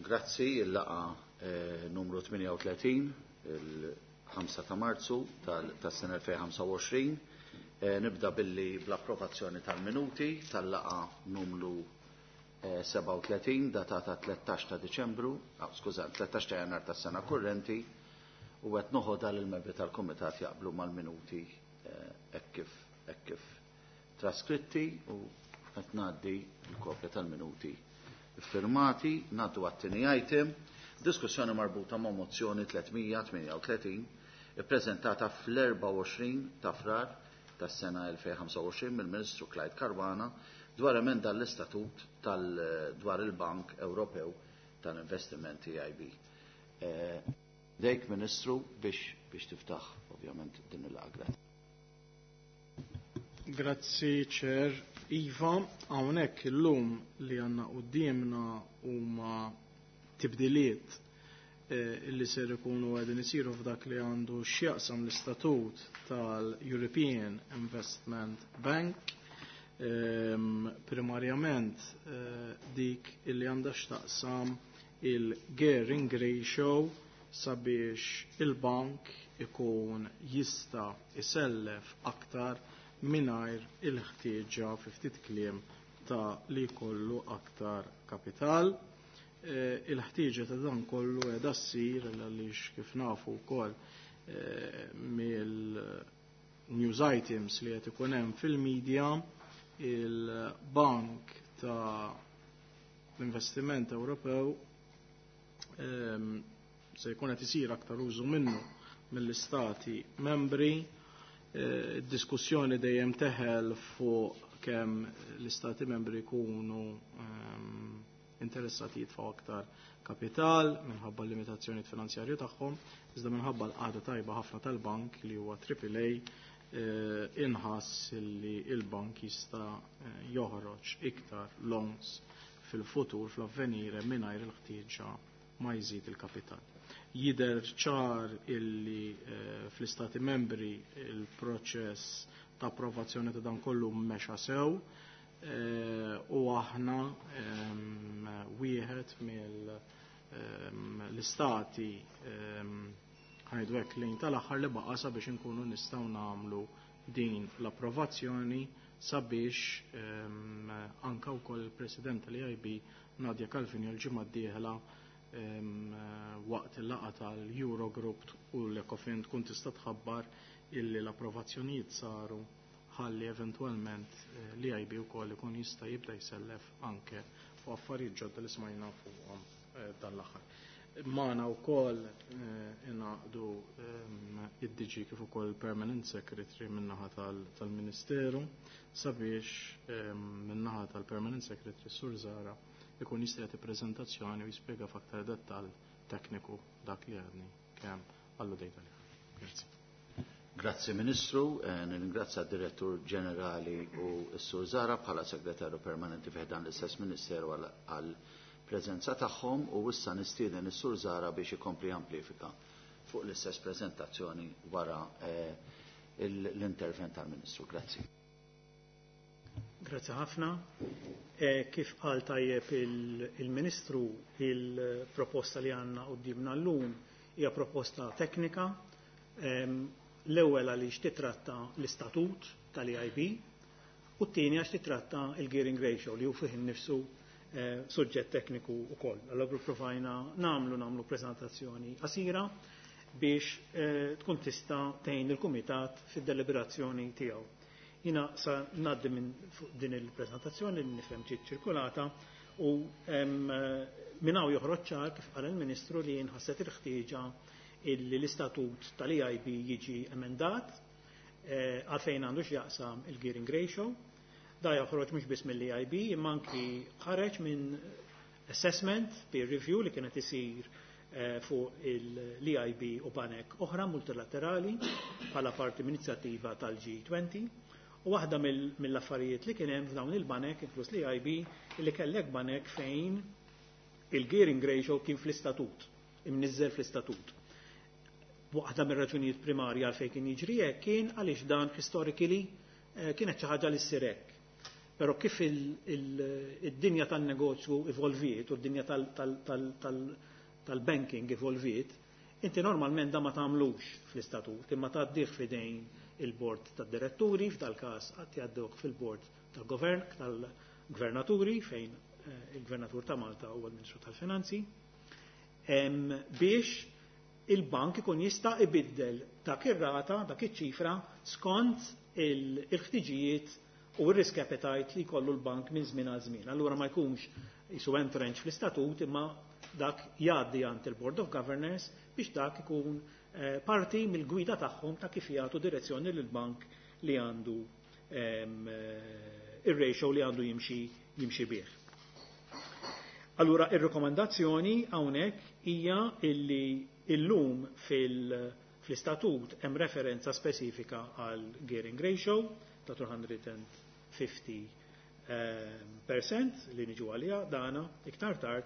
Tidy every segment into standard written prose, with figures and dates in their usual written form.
Grazzi, il-laqgħa numru 38, il-5 ta' Marzu tas-sena 2025. Nibda billi bl-approvazzjoni tal-minuti tal-laqgħa numru 37 datata 13 ta' Diċembru, skuża, 13 ta' Jannar tas-sena kurrenti u qed noħodha lil membri tal-kumitat jaqblu mal-minuti hekk kif hekk kif traskritti u qed ngħaddi l-kopja tal-minuti firmati. Ngħaddu għat-tieni item, diskussjoni marbuta ma' mozzjoni 338 ippreżentata fl-24 ta' Frar tas-sena 2025 mill-Ministru Clyde Caruana dwar emenda l-istatut tal dwar il-Bank Ewropew tal-Investimenti EIB. Dejk Ministru biex tiftaħ ovvjament din il-laqgħa. Grazzi Chair. Iva, hawnhekk illum li għandna quddiemna huma tibdiliet illi ser ikunu qegħdin isiru f'dak li għandu x'jaqsam l-istatut tal-European Investment Bank. Primarjament dik illi għandha x'taqsam il-gearing ratio sabiex il-bank ikun jista' isellef aktar mingħajr il-ħtieġa fi ftit kliem ta' li jkollu aktar kapital. Il-ħtieġa ta' dan kollu qiegħda ssir għaliex kif nafu wkoll mill-news items li qed ikun hemm fil-media, il-Bank ta' l-Investiment Ewropew se jkun qed isir aktar użu minnu mill-istati membri. Diskussjoni dejjem teħel fuq kemm l-istati membri jkunu interessati jitfgħu aktar kapital minħabba l-limitazzjonijiet finanzjarju tagħhom, iżda minħabba l-qagħda tajba ħafna tal-bank li huwa AAA inħass li l-bank jista' joħroġ iktar loans fil-futur fl-avvenire mingħajr il-ħtieġa ma jżid il-kapital. Jidher ċar illi fl-istati membri il-proċess ta' approvazzjoni ta' dan kollu mexa sew u aħna wieħed mill-istati ħajdu hekk lejn tal-aħħar li baqa' sabiex inkunu nistgħu nagħmlu din l-approvazzjoni sabiex anka wkoll il-President tal-EIB Nadia Calvin l-ġimgħa d-dieħla waqt il-laqgħa tal-Eurogroup u l-Ecofin tkun tista' tħabbar illi l-approvazzjonijiet saru ħalli eventwalment l-EIB wkoll ikun jista' jibda jsellef anke fuq affarijiet ġodda li smajna fuqhom dan l-aħħar. Magħna wkoll ingħaqdu id-DG kif ukoll Permanent Secretary min-naħa tal-Ministeru sabiex min-naħa tal-Permanent Secretary Sur Zara ikun jista' jagħti preżentazzjoni u jispjega f'aktar dettall tekniku dak li għadni kemm alludejt għalih. Grazzi. Grazzi Ministru, nirringrazzja d-Direttur Ġenerali u s-Sur Zara bħala Segretarju Permanenti fi dan l-istess Ministeru għal preżenza tagħhom u issa nistieden is-Sur Zara biex ikompli amplifika fuq l-istess preżentazzjoni wara l-intervent tal-Ministru. Grazzi. Grazzi ħafna. Kif qal tajjeb il-Ministru, il-proposta li għandna quddiemna llum hija proposta teknika. L-ewwel għaliex titratta l-istatut tal-EIB u t-tieni għax titratta il-gearing ratio li hu fih innifsu suġġett tekniku wkoll. Allura provajna nagħmlu preżentazzjoni qasira biex tkun tista' tgħin il-kumitat fid-deliberazzjoni tiegħu. Jina sa ngħaddi minn din il-preżentazzjoni li nifhem ġiet ċirkulata u minn hawn joħroġ ċar kif qal il-Ministru li nħasset il-ħtieġa illi l-istatut tal-EIB jiġi emendat għalfejn għandu x'jaqsam il-gearing ratio. Da joħroġ mhux biss mill-EIB imma anki ħareġ minn assessment peer review li kienet isir fuq l-EIB u banek oħra multilaterali bħala parti minn inizjattiva tal-G20. U waħda mill-affarijiet li kien hemm f'dawn il-banek, inkluż l-EIB, li kellek banek fejn il-gearing ratio kien fl-istatut, imniżżel fl-istatut. Waħda mir-raġunijiet primarja għalfejn kien jiġri hekk kien għaliex dan historically kienet xi ħaġa li ssir hekk. Però kif id-dinja tan-negozju evolviet u d-dinja tal-banking evolviet, inti normalment da ma tagħmlux fl-istatut, imma tgħaddih f'idejn il-bord tad-diretturi, f'dal-każ qatt jgħadduh fil-bord tal-govern tal-gvernaturi fejn il-Gvernatur ta' Malta huwa l-Ministru tal-Finanzi, biex il-bank ikun jista' ibiddel dak ir-rata, dak iċ-ċifra skont il-ħtiġijiet u r-risk appetite li jkollu l-bank minn żmien għal żmien. Allura ma jkunx jisu entrench fl-istatut, imma dak jgħaddi għand il-Board of Governors biex dak ikun parti mill-gwida tagħhom ta' kif jagħtu direzzjoni lill-bank li għandu ir-ratio li għandu jimxi bih. Allura ir-rekomendazzjoni hawnhekk hija illi illum fl-istatut hemm referenza spesifika għal gearing ratio ta' 250% li niġu għalija dana iktar tard,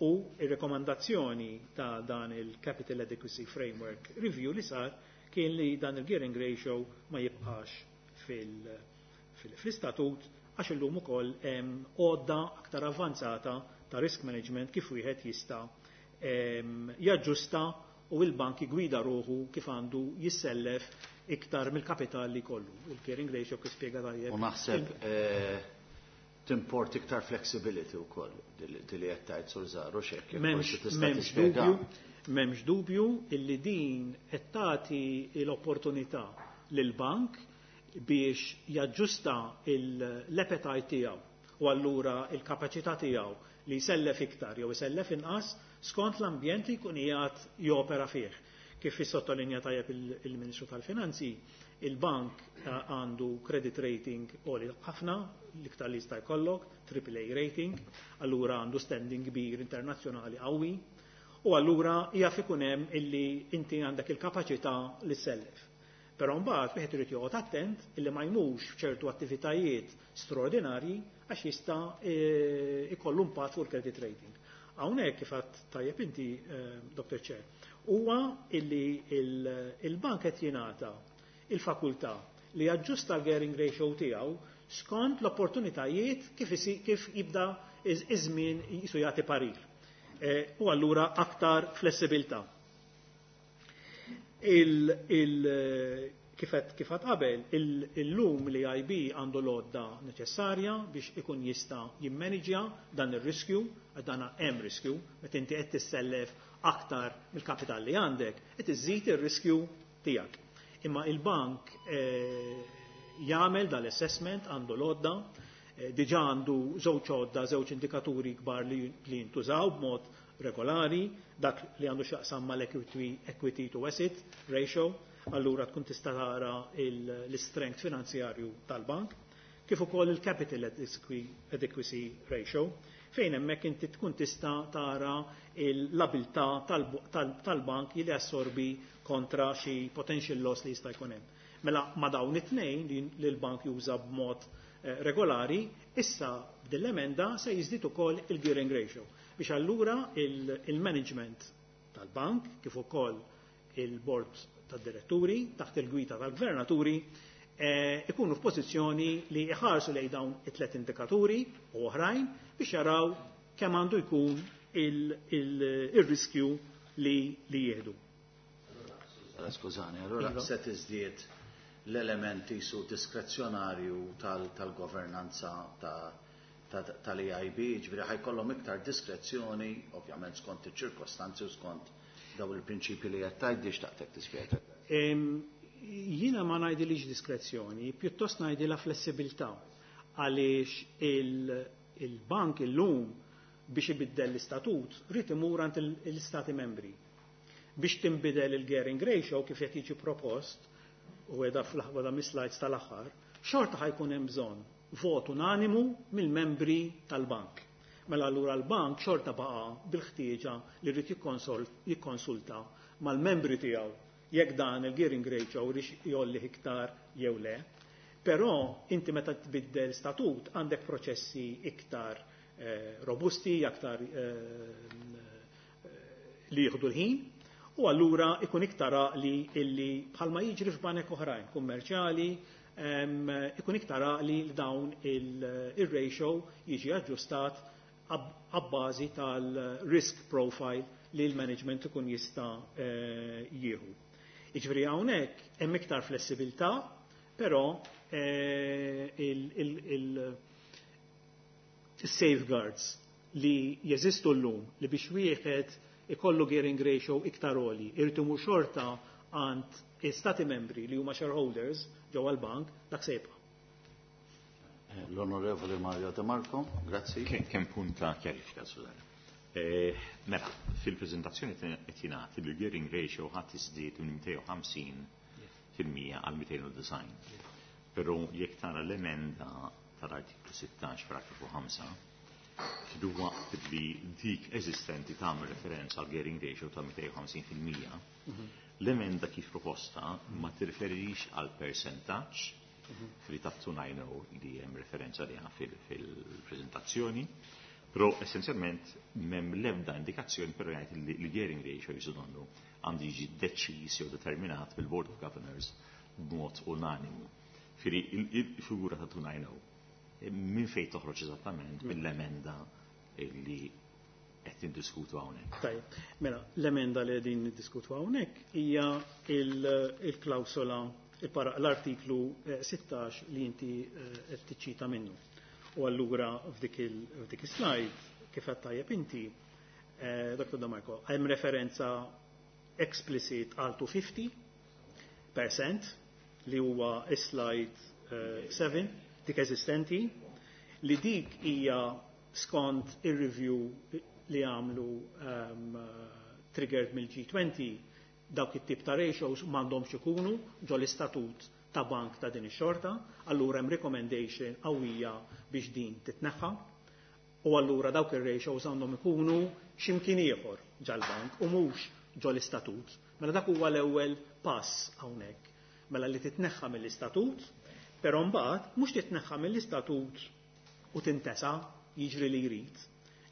u ir-rekomandazzjoni ta' dan il-Capital Adequacy Framework Review li sar kien li dan il-gearing ratio ma jibqax fil-istatut għax illum ukoll hemm għodda aktar avvanzata ta' risk management kif wieħed jista' jaġġusta u l-bank jgwida ruħu kif għandu jissellef iktar mill-kapital li kollu. Il-gearing ratio kif spjega tajjeb. U naħseb timport iktar flexibility wkoll li qed tgħid Sur Zaru x'hekk. M'hemmx dubju illi din qed tagħti l-opportunità lill-bank biex jaġġusta l-appetite tiegħu u allura il-kapaċità tiegħu li jsellef iktar jew isellef inqas skont l-ambjent li jkun qiegħed jopera fih. Kif sottolinja tajjeb il-Ministru tal-Finanzi, il-bank għandu credit rating għoli ħafna, l-iktar li jista' jkollok, AAA rating, allura għandu standing kbir internazzjonali qawwi, u allura jaf ikun hemm illi inti għandek il-kapaċità li ssellef. Però mbagħad wieħed irid joqgħod attent illi ma jmux f'ċertu attivitajiet straordinarji għax jista' ikollu impatt fuq il-credit rating. Hawnhekk kif għedt tajjeb inti, Dr. Chair, huwa illi il-bank qed jingħata il-fakultà li jaġġusta l-gearing ratio tiegħu skont l-opportunitajiet kif jibda iż-żmien jisu jagħti parir. U allura aktar flessibilità. Kif għedt qabel, illum l-EIB għandu l-għodda neċessarja biex ikun jista' jimmaniġja dan ir-riskju, għax dan hemm riskju, meta inti qed tissellef aktar mill-kapital li għandek, qed iżżid ir-riskju tiegħek. Imma il-bank jagħmel dal-assessment, għandu l-għodda, diġà għandu żewġ għodda, żewġ indikaturi kbar li jintużaw b'mod regolari, dak li għandu x'jaqsam mal-equity equity to asset ratio, allura tkun tista' tara l-strength finanzjarju tal-bank, kif ukoll il-capital adequacy ratio, fejn hemmhekk inti tkun tista' tara l-abilità tal-bank li assorbi kontra xi potential loss li jista' jkun hemm. Mela ma dawn it-tnejn li l-bank juża b'mod regolari, issa b'dil-emenda se jiżdied ukoll il-gearing ratio biex allura il-management tal-bank kif ukoll il-board tad-diretturi taħt il-gwida tal-gvernaturi ikunu f'pożizzjoni li jħarsu lejn dawn it-tlet indikaturi u oħrajn biex jaraw kemm għandu jkun il-riskju li jieħdu. Skużani, allura se tiżdied l-elementi su diskrezzjonarju tal-governanza tal-EIB, ġifieri ħajkollhom iktar diskrezzjoni, ovvjament skont iċ-ċirkostanzi u skont daw il-prinċipji li qed tgħid biex taqtek tispjega. Jiena ma ngħidilix diskrezzjoni, pjuttost ngħidilha flessibilità, għaliex il-bank illum biex ibiddel l-istatut rrid imur għand l-istati membri. Biex tinbidel il-gearing ratio kif qed jiġi propost u qiegħda fl-aħħar mis-slides tal-aħħar, xorta ħajkun hemm bżonn vot unanimu mill-membri tal-bank. Mela allura l-bank xorta baqa' bil-ħtieġa li rrid jikkonsulta mal-membri tiegħu jekk dan il-gearing ratio rix jolli iktar jew le. Però inti meta tbiddel statut għandek proċessi iktar robusti, aktar li jieħdu l-ħin, u allura ikun iktar li illi bħalma jiġri f'banek oħrajn kummerċjali Ikun iktar li dawn il-ratio jiġi aġġustat abbażi tal-risk profile li l-management ikun jista' jieħu. Jiġifieri hawnhekk hemm iktar flessibilità, però il-safeguards li jeżistu llum li biex wieħed ikollu gearing ratio iktar għoli, irid imur xorta għand stati membri li huma shareholders ġewwa l-bank, dak se jibqa'. L-Onorevoli Mario De Marco, grazzi. Kemm punt ta' kjarifika, Susanna. Mela, fil-prezentazzjoni qed jingħad li l-gearing ratio ħadd iżdied minn 250% għal 290. Però jekk tara l-emenda tal-artiklu 16 paragrafu 5, waqt li dik eżistenti tagħmel referenza għal gearing ratio ta' 250%, l-emenda kif proposta ma tirreferix għal percentaġġ fri ta' 290 li hemm referenza liha fil-prezentazzjoni, però essenzjalment m'hemm l-ebda indikazzjoni, però jgħid li l-gearing ratio jisu donnu għandu jiġi deċiż jew determinat bil-Board of Governors b'mod unanimu. Firi il-figura ta' 290 minn fejn toħroġ eżattament mill-emenda li qed niddiskutu hawnhekk? Tajjeb, mela l-emenda li qegħdin niddiskutu hawnhekk hija il-klawsola, l-artiklu 16 li inti qed tiċċita minnu. U allura f'dik is-slide kif qed tajjeb inti, Dr. De Marco, hemm referenza explicit għal 250% li huwa slide 7 dik eżistenti, li dik hija skont ir-review li għamlu triggered mill-G20, dawk it-tip ta' ratios m'għandhomx ikunu ġo l-istatut ta' bank ta' din ix-xorta, allura hemm recommendation qawwija biex din titneħħa, u allura dawk ir-ratios għandhom ikunu x'imkien ieħor ġal-bank u mhux ġo l-istatut. Mela dak huwa l-ewwel pass hawnhekk. Mela li titneħħa mill-istatut, però mbagħad mhux titneħħa mill-istatut u tintesa jiġri li jrid.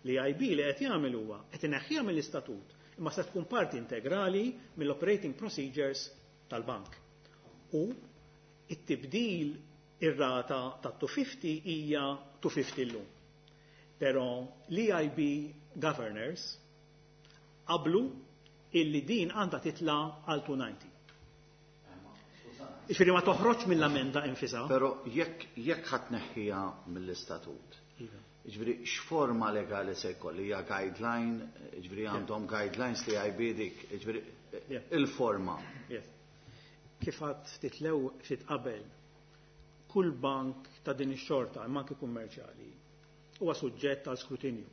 L-EIB li qed jagħmel huwa qed ineħħiha mill-istatut, imma se tkun parti integrali mill-operating procedures tal-bank. U it-tibdil ir-rata ta' 250 hija 250 llum. Però l-EIB governors qablu illi din għandha titla għal 290. Ġifieri ma toħroġ mill-amenda infisa. Però jekk ħadd neħħiha mill-istatut, ġifieri x'forma legali se jkolli? Hija guideline, ġifieri għandhom guidelines li EIB dik, ġifieri il-forma. Yes. Kif għad ftit lew ftit qabel, kull bank ta' din ix-xorta, imma anke kummerċjali, huwa suġġett għal skrutinju,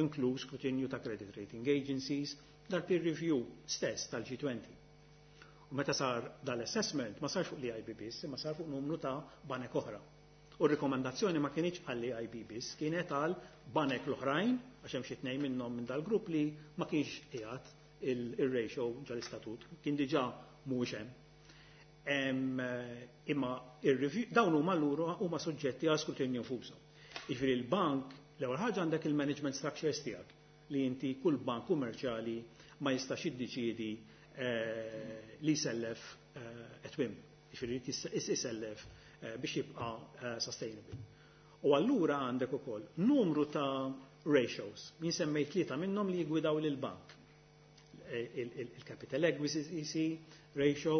inkluż skrutinju ta' credit rating agencies, dal-peer review stess tal-G20. U meta sar dal-assessment ma sarx fuq l-EIB biss, imma sar fuq numru ta' banek oħra. U r-rikomandazzjoni ma kienx għall-EIB biss, kienet għal banek l-oħrajn, għax hemm xi tnejn minnhom minn dal-grupp li ma kienx qiegħed il-ratio ġal-istatut, kien diġà mhuwiex hemm. Imma dawn huma allura huma suġġetti għal skrutinju nfushom. Jiġifieri l-bank, l-ewwel ħaġa għandek il-management structures tiegħek li inti kull bank kummerċjali ma jistax jiddeċiedi li jsellef at whim, jiġifieri jisellef biex jibqa' sustainable. U allura għandek ukoll numru ta' ratios, jien semmejt tlieta minnhom li jigwidaw lill-bank. Il-capital equity ratio,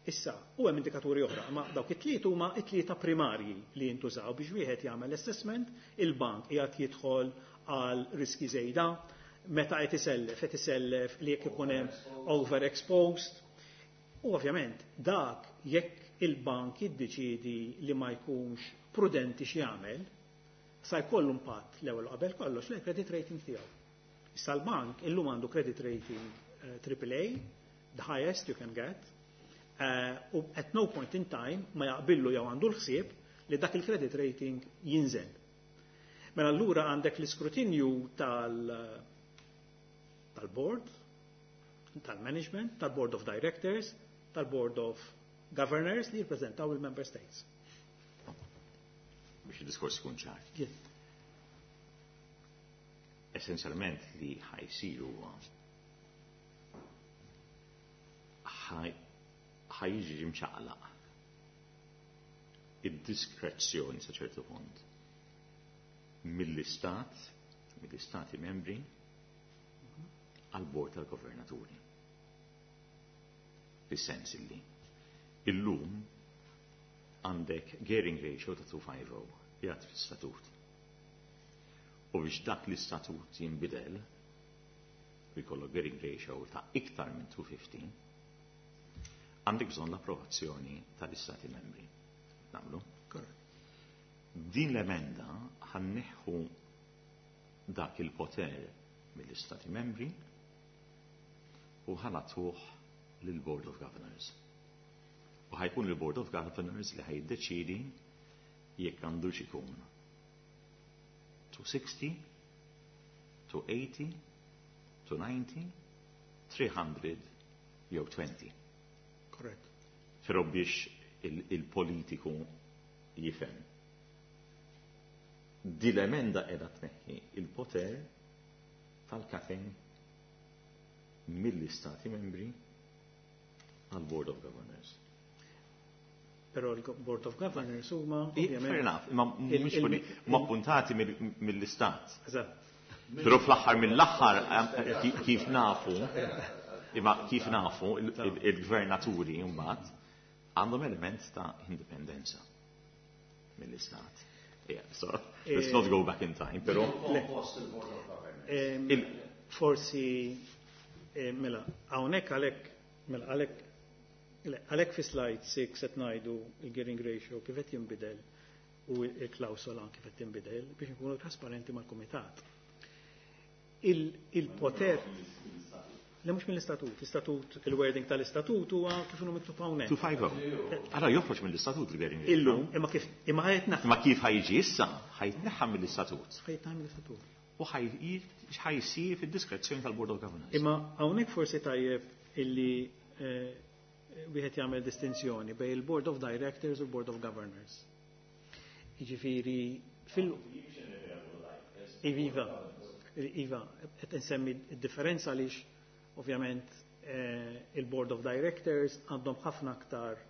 issa, u hemm indikaturi oħra, ma dawk it-tliet huma it-tlieta primarji li jintużaw biex wieħed jagħmel assessment, il-bank qiegħed jidħol għal riski żejda, meta qed isellef, qed isellef li jekk ikun hemm overexposed. U ovvjament dak jekk il-bank jiddeċiedi li ma jkunx prudenti x'jagħmel, sa jkollu impatt l-ewwel qabel kollox lejn credit rating tiegħu. Issa l-bank illum għandu credit rating triple A, the highest you can get, u at no point in time ma jaqbillu jew għandu l-ħsieb li dak il-credit rating jinżel. Mela allura għandek l-iskrutinju tal-board, tal-management, tal-board of directors, tal-board of governors li jirpreżentaw il-member states. Biex il-diskors ikun ċar. Yes. Essenzjalment li ħajsir huwa ħajġi mċaqlaq id-diskrezzjoni sa ċertu punt mill-istat, mill-istati membri, għal-bord tal-governaturi. Fis-sens illi illum għandek gearing ratio ta' 250 jgħat fil-statut. U biex dak l-istatut jinbidel, u jkollok gearing ratio ta' iktar minn 215, għandek bżonn l-approvazzjoni tal-istati membri. Nagħmlu? Din l-emenda ħa nneħħu dak il-poter mill-istati membri u ħa nagħtuh lill-Board of Governors. U ħa jkun il-Board of Governors li ħa jiddeċidi jekk għandux ikun 260, 280, 290, 300 jew 20. Correct. Però biex il-politiku jifhem. Di l-emenda qiegħda tneħħi il-poter tal-capping mill-istati membri għal Board of Governors. Però il-Board of Governors huma Fair enough, imma mhux ma appuntati mill-istat. Eżatt. Però fl-aħħar mill-aħħar kif nafu, imma kif nafu il-gvernaturi mbagħad għandhom element ta' indipendenza mill-istat. Yeah, so let's not go back in time, però Forsi mela hawnhekk għalhekk mela għalhekk għalhekk fi slide 6 qed ngħidu il-gearing ratio kif qed jinbidel u il-klawsola kif qed tinbidel biex nkunu trasparenti mal-kumitat. Il-poter Le mhux mill-istatut, l-istatut, il-wording tal-istatut huwa kif inhu miktub hawnhekk. 250. Ara joħroġ mill-istatut il-gearing ratio. Illum, imma kif imma ħa jitneħħa. Imma kif ħa jiġi issa, ħa jitneħħa mill-istatut. Ħa jitneħħa mill-istatut. U ħa jsir fid-diskrezzjoni tal-Board of Governors. Imma hawnhekk forsi tajjeb illi wieħed jagħmel distinzjoni bejn il-Board of Directors u l-Board of Governors. Jiġifieri fil Iva, Iva, qed insemmi d-differenza għaliex ovvjament il-Board of Directors għandhom ħafna aktar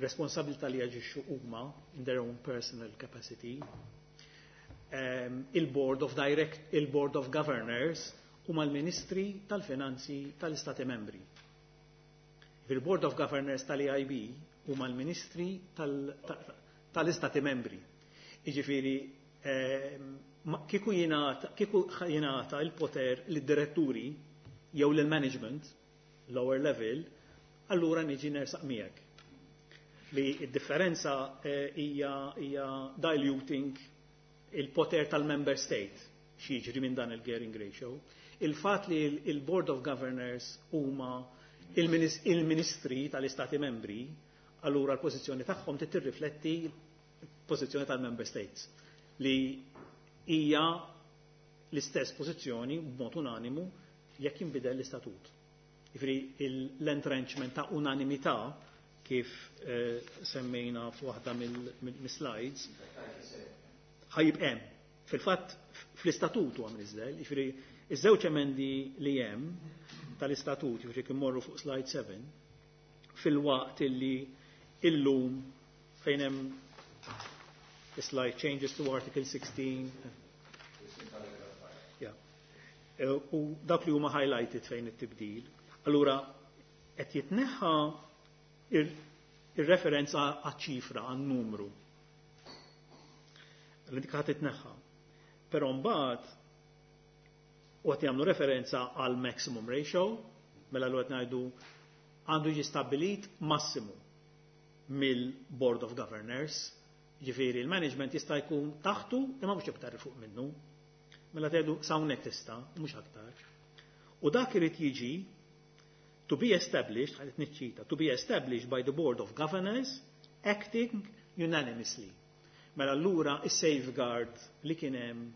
responsabilità li jaġixxu huma in their own personal capacity. Il-Board of Direct, il-Board of Governors huma l-Ministri tal-Finanzi tal-Istati Membri. Il-Board of Governors tal-EIB huma l-Ministri tal-Istati Membri. Jiġifieri kieku jingħata il-poter lid-diretturi jew lill-management lower level, allura niġi nersaq miegħek. Li d-differenza hija diluting il-poter tal-member state x'jiġri minn dan il-gearing ratio. Il-fatt li il-Board of Governors huma il-ministri tal-istati membri, allura l-pożizzjoni tagħhom trid tirrifletti l-pożizzjoni tal-member states li hija l-istess pożizzjoni b'mod unanimu jekk jinbidel l-istatut. Jiġifieri l-entrenchment ta' unanimità kif semmejna f'waħda mill-slides ħa jibqa' hemm. Fil-fatt fl-istatut huwa mniżżel, jiġifieri iż-żewġ emendi li hemm tal-istatut, jiġifieri kif morru fuq slide 7, fil-waqt illi illum fejn hemm slide changes to Article 16. Yeah. U dak li huma highlighted fejn it-tibdil. Allura qed jitneħħa ir-referenza għaċ-ċifra, għan-numru. Li dik ħadd titneħħa. Però mbagħad u qed jagħmlu referenza għal maximum ratio, mela l qed ngħidu għandu jiġi stabbilit massimu mill-Board of Governors, ġifieri il-management jista' jkun taħtu imma mhux iktar fuq minnu. Mela tgħidu s'hawnhekk tista' mhux aktar. U dak irid jiġi to be established, ħadet niċċita, to be established by the Board of Governors acting unanimously. Mela allura is-safeguard li kien hemm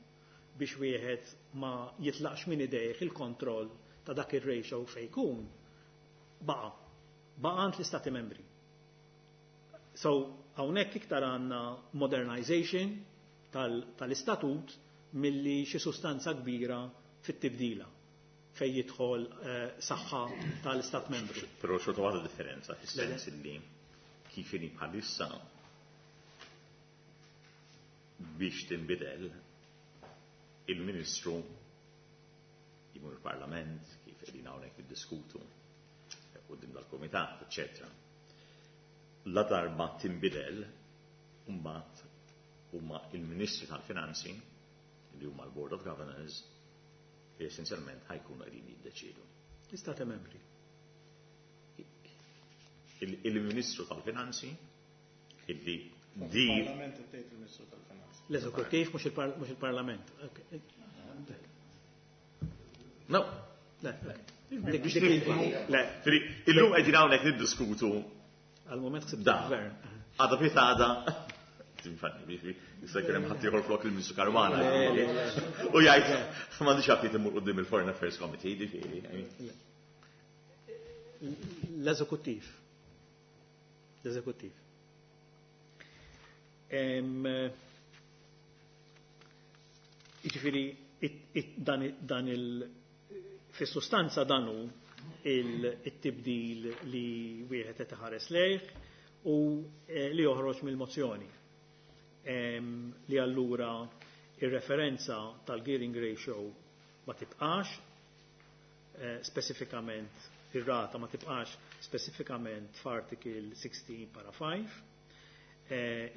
biex wieħed ma jitlaqx minn idejh il-kontroll ta' dak ir-ratio fejn jkun baqa' għand l-istati membri. So hawnhekk iktar għandna modernization tal-istatut milli xi sustanza kbira fit-tibdila fej jidħol saħħa tal-istat membru. Però xorta waħda differenza fis-sens illi Kif inhi bħalissa biex tinbidel il-Ministru jmur il-Parlament, kif qegħdin hawnhekk niddiskutu quddiem dal-Kumitat, eċċetera. La darba tinbidel, mbagħad huma il-Ministri tal-Finanzi li huma l-Board of Governors li essenzjalment ħa jkunu qegħdin jiddeċiedu. Istati membri. Il-Ministru tal-Finanzi illi di Parlament tgħid il-Ministru tal-Finanzi. L-eżekuttiv mhux il-Parlament. No. Le, Biex nifhmu. Le, Illum qegħdin hawnhekk niddiskutu għal-moment ħsibt Da. gvern. Għada fit għada. Tinfanni, biex jista' jkun hemm ħadd ieħor flok il-Ministru Caruana. U jgħid m'għandix għaftit imur quddiem il-Foreign Affairs Committee, ġifieri. I mean, L-eżekuttiv. L-eżekuttiv. Jiġifieri dan il fis-sustanza dan hu il-tibdil li wieħed qed iħares lejh u li joħroġ mill-mozzjoni. Li allura ir-referenza tal-gearing ratio ma tibqax spesifikament ir-rata ma tibqax spesifikament f'article 16 para 5,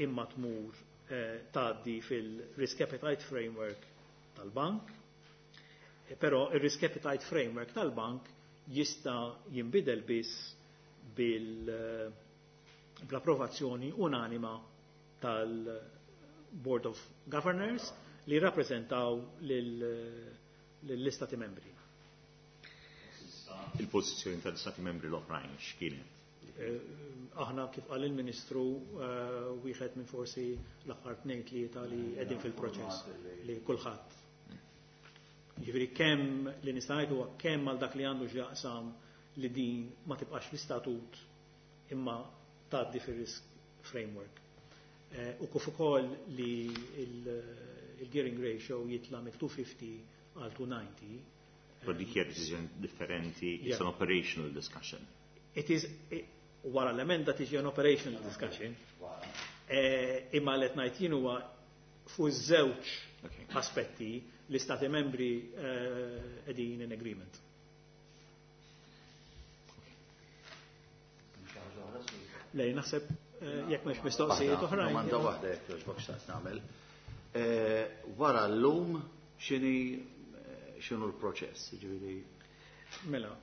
imma tmur tgħaddi fil-Risk Appetite Framework tal-bank. Però il-Risk Appetite Framework tal-bank jista' jinbidel biss bl-approvazzjoni unanima tal-Board of Governors li rappresentaw lill-istati membri. Il-pożizzjoni tal-istati membri l-oħrajn x'kienet? Aħna kif qal il-Ministru, wieħed minn forsi l-aħħar tnejn tlieta li qegħdin fil-proċess li kulħadd. Jiġifieri kemm li nista' ngħid huwa kemm għal dak li għandu x'jaqsam li din ma tibqax fl-istatut imma tgħaddi fir-risk framework. U kif ukoll li il-gearing ratio jitla' mill-250 għal 290. But dik hija deċiżjoni differenti, it's an operational discussion. It is, wara l-emenda tiġi an operational discussion. Imma li qed ngħid jien huwa fuq żewġ aspetti l-istati membri qegħdin in agreement. Lej, naħseb jekk mhux mistoqsijiet oħrajn. Domanda waħda jekk jogħġbok xtaqt nagħmel. Wara llum x'inhu l-proċess? Jiġifieri Mela.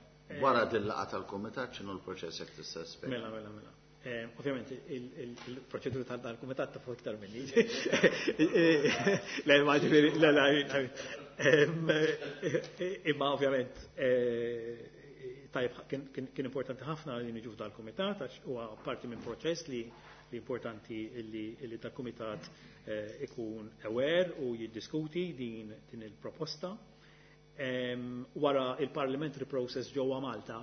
Wara din laqgħa tal-kumitat x'inhu l-proċess jekk tista' tispjega? Mela, mela, mela. Ovvjament il-proċedura tal-kumitat ta' fuq iktar minni. Le, ma ġifieri, le, le, imma ovvjament tajb kien importanti ħafna li niġu f'dal-kumitat għax huwa parti minn proċess li importanti li dal-kumitat ikun aware u jiddiskuti din il-proposta. Wara il-parliamentary process ġewwa Malta,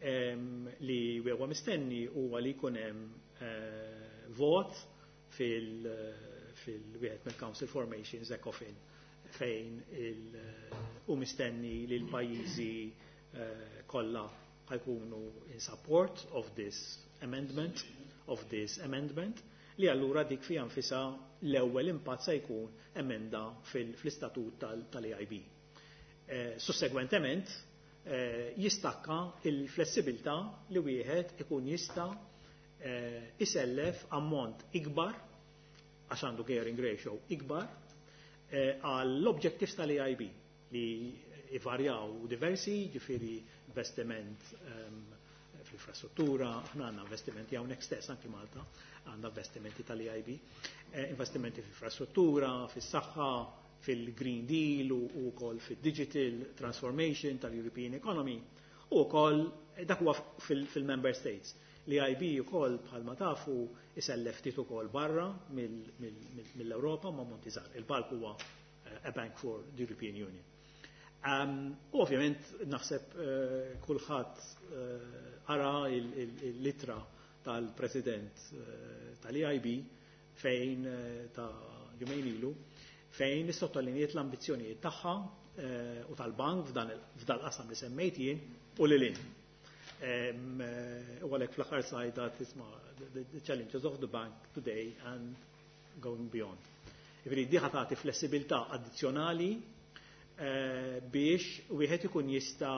li huwa mistenni huwa li jkun hemm vot fil-wieħed mill-Council Formations ECOFIN fejn u mistenni li l-pajjiżi kollha ħajkunu in support of this amendment, li allura dik fija nfisha l-ewwel impatt se jkun emenda fl-istatut tal-AIB. Sussegwentement jistakka il-flessibilità li wieħed ikun jista' isellef ammont ikbar għax għandu gearing ratio ikbar għall-objectives tal-AIB li ivarjaw diversi, ġifieri investiment fl-infrastruttura, aħna għandna investimenti hawnhekk stess anki Malta, għandna investimenti tal-EIB, investimenti fl-infrastruttura, fis-saħħa, fil-Green Deal u wkoll fil-Digital Transformation tal-European Economy u wkoll dak huwa fil-Member States. L-EIB ukoll bħalma tafu isellef ftit ukoll barra mill-Ewropa ma' monti żgħar. Il-bank huwa a bank for the European Union. U ovvjament naħseb kulħadd ara il-litra tal-President tal-EIB fejn ta' jumejn ilu fejn sottolinjiet l-ambizzjonijiet tagħha u tal-bank f'dal qasam li semmejt jien u lil hinn. U għalhekk fl-aħħar slide tisma' the challenges of the bank today and going beyond. Jiġifieri di ħa tagħti flessibilità addizzjonali biex wieħed ikun jista'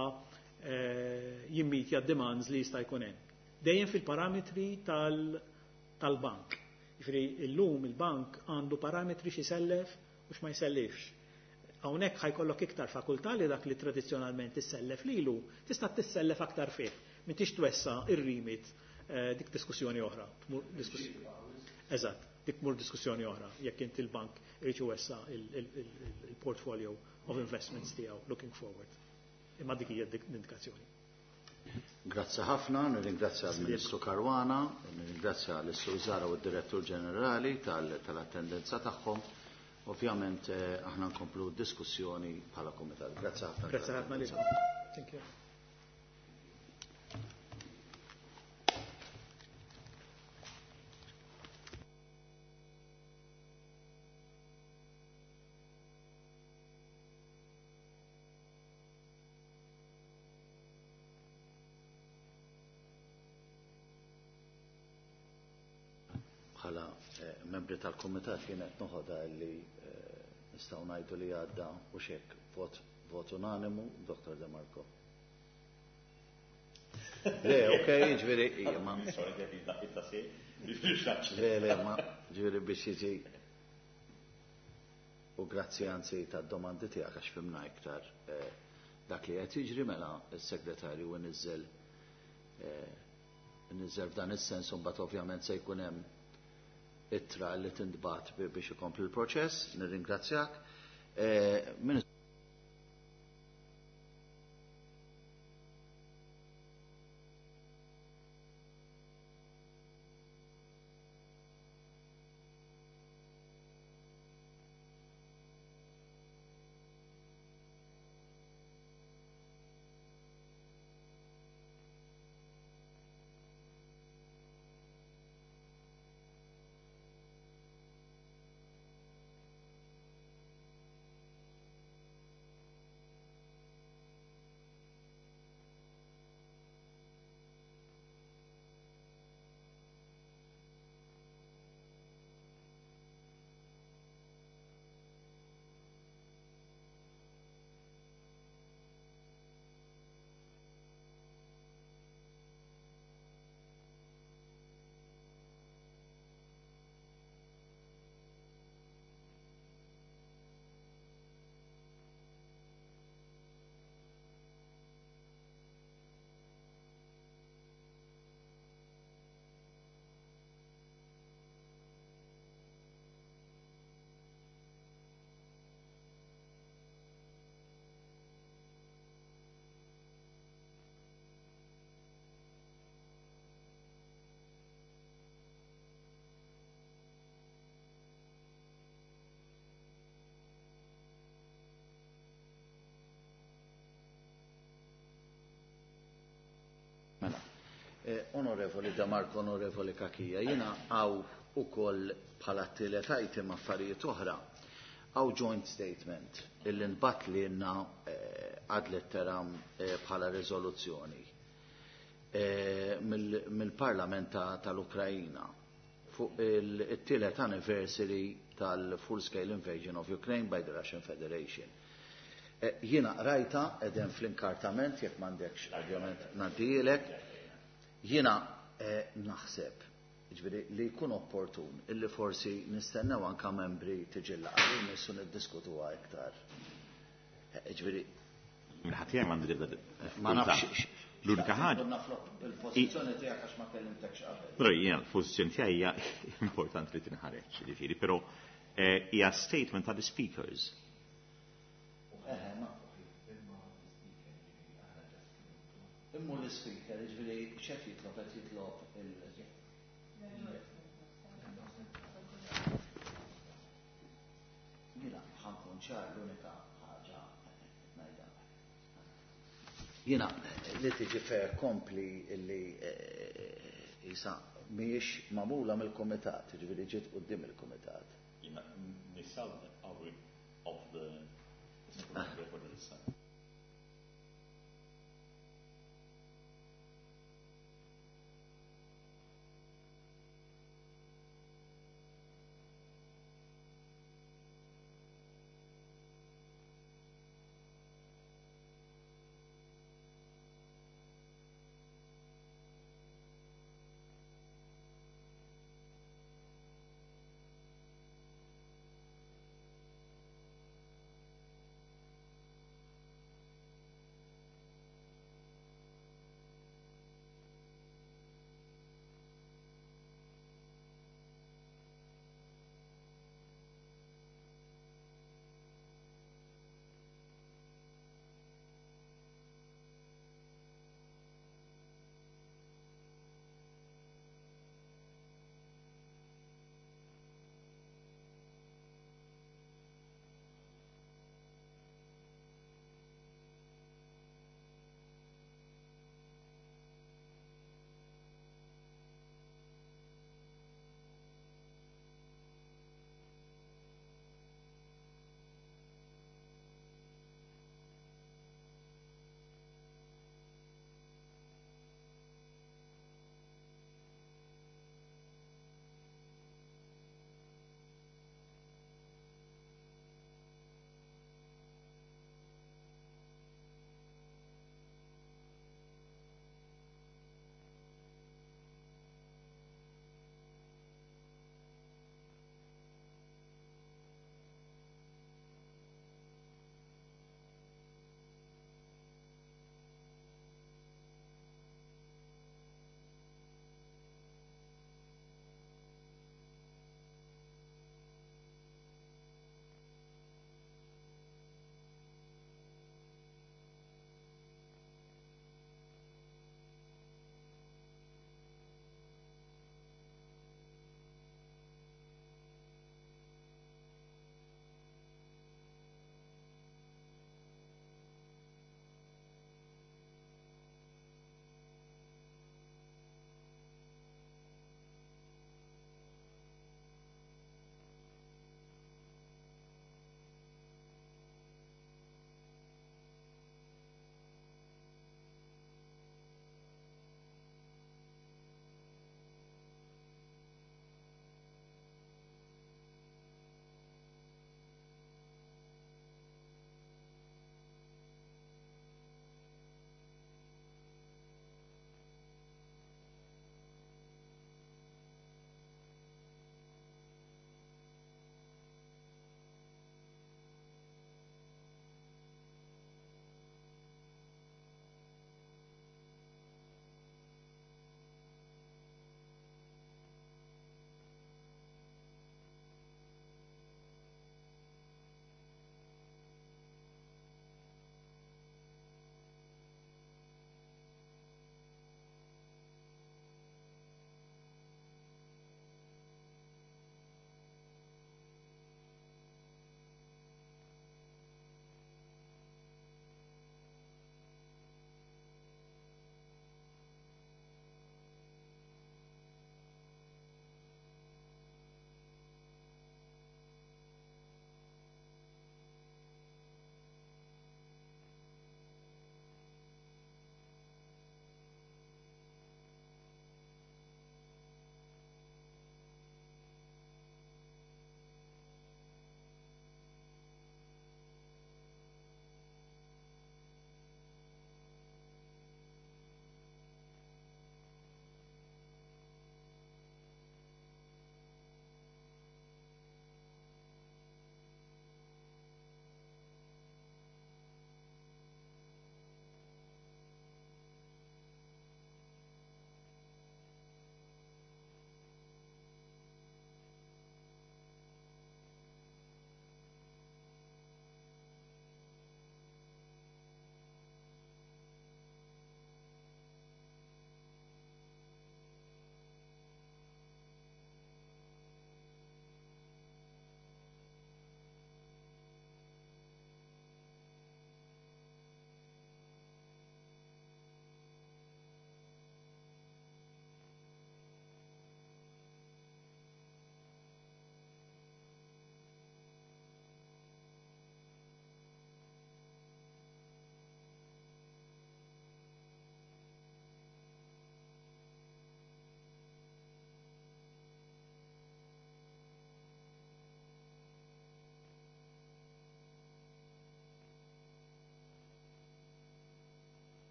jimmitja demands li jista' jkun hemm. Dejjem fil-parametri tal-bank. Jiġifieri llum il-bank għandu parametri x'isellef u x'ma jsellifx. Hawnhekk ħa jkollok iktar fakultà li dak li tradizzjonalment tissellef lilu, tista' tissellef aktar fih. M'intix twessa' ir-remit, dik diskussjoni oħra. Eżatt, dik mur diskussjoni oħra, jekk inti l-bank irid iwessa' il-portfolio of investments tiegħu looking forward. Imma dik hija l-indikazzjoni. Grazzi ħafna, nirringrazzja l-Ministru Caruana, nirringrazzja l-Sur Zahra u d-Direttur Ġenerali tal-attendenza tagħhom. Ovvjament aħna nkomplu diskussjoni bħala komitat. Grazzi ħafna. Grazzi ħafna lilkom. Thank you. Bħala membri tal-komitat jien qed noħodha li nistgħu ngħidu li għadda u xek vot unanimu, Dr. De Marco. Le, ok, ġifieri, ija, ma. Le, le, ma, ġifieri biex jiġi. U grazzi anzi tad-domandi tiegħek għax fimna iktar dak li qed jiġri mela s-segretarju nizzel f'dan is-sens u mbagħad ovvjament se jkun hemm ittra li tintbat biex ikompli l-proċess. Nirringrazzjak. Mela, Onorevoli De Marco, Onorevoli Cachia, jina għaw u koll bħala t-tielet item affarijiet oħra, għaw joint statement illi nbat li jenna ad litteram bħala rezoluzzjoni mill-Parlament tal-Ukrajina fuq il-tielet anniversary tal-full-scale invasion of Ukraine by the Russian Federation. Jiena rajta edem fl-inkartament, jekk m'għandekx ovvjament ngħaddilek, jiena naħseb ġifieri li jkun opportun illi forsi nistennew anka membri tiġi l-laqgħa li nissu niddiskutuha iktar. Ġifieri Minħat jgħaj m'għandi l-ebda Ma nafx. L-unika ħaġa. Il-pożizzjoni tiegħek għax ma kellimtekx qabel. Però jiena l-pożizzjoni tiegħi hija importanti li tinħareġ, ġifieri, però hija statement ta' the speakers. Immu l-speaker, ġifieri, x'qed jitlob, qed jitlob il- Jiena ħankun ċar l-unika ħaġa ngħidha. Jiena li tiġi fer kompli illi jisa mhijiex magħmula mill-kumitat, ġifieri ġiet quddiem il-kumitat. Jiena nisal of the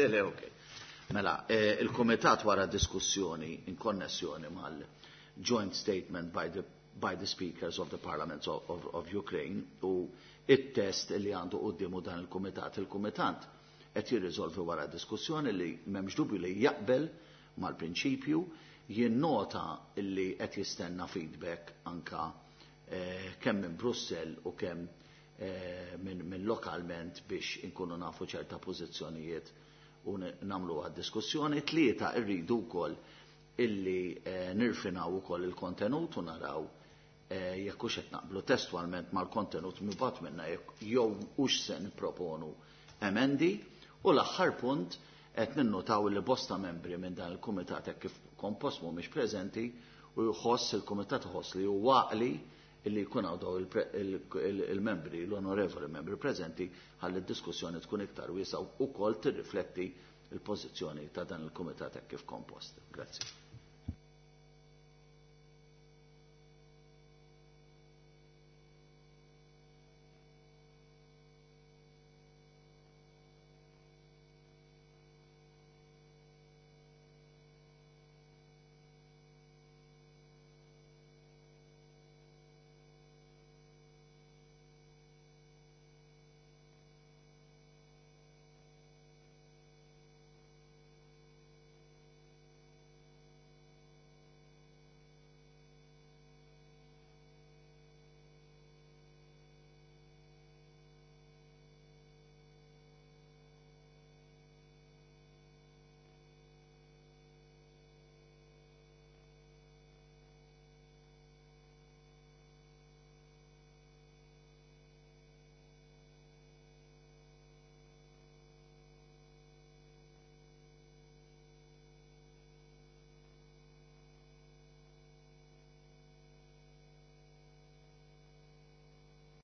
Le, ok. Mela, il-Kumitat wara diskussjoni in konnessjoni mal-joint statement by the speakers of the parliaments of Ukraine u it-test li għandu quddiemu dan il-Kumitat. Il-Kumitat qed jirriżolvi wara diskussjoni li m'hemmx dubju li jaqbel mal-prinċipju, jinnota li qed jistenna feedback anka kemm minn Brussell u kemm minn lokalment biex inkunu nafu ċerta pożizzjonijiet u nagħmlu diskussjoni. Tlieta, irridu wkoll illi nirfinaw ukoll il-kontenut u naraw jekk hux qed naqblu testwalment mal-kontenut mibgħat minna jew hux se nipproponu emendi. U l-aħħar punt, qed ninnutaw li bosta membri minn dan il-kumitat hekk kif kompost mhumiex preżenti u jħoss il-kumitat iħoss li huwa għaqli illi jkun hawn daw il-membri, l-onorevoli membri preżenti ħalli d-diskussjoni tkun iktar wiesgħa u wkoll tirrifletti il-pożizzjoni ta' dan il-kumitat hekk kif kompost. Grazzi.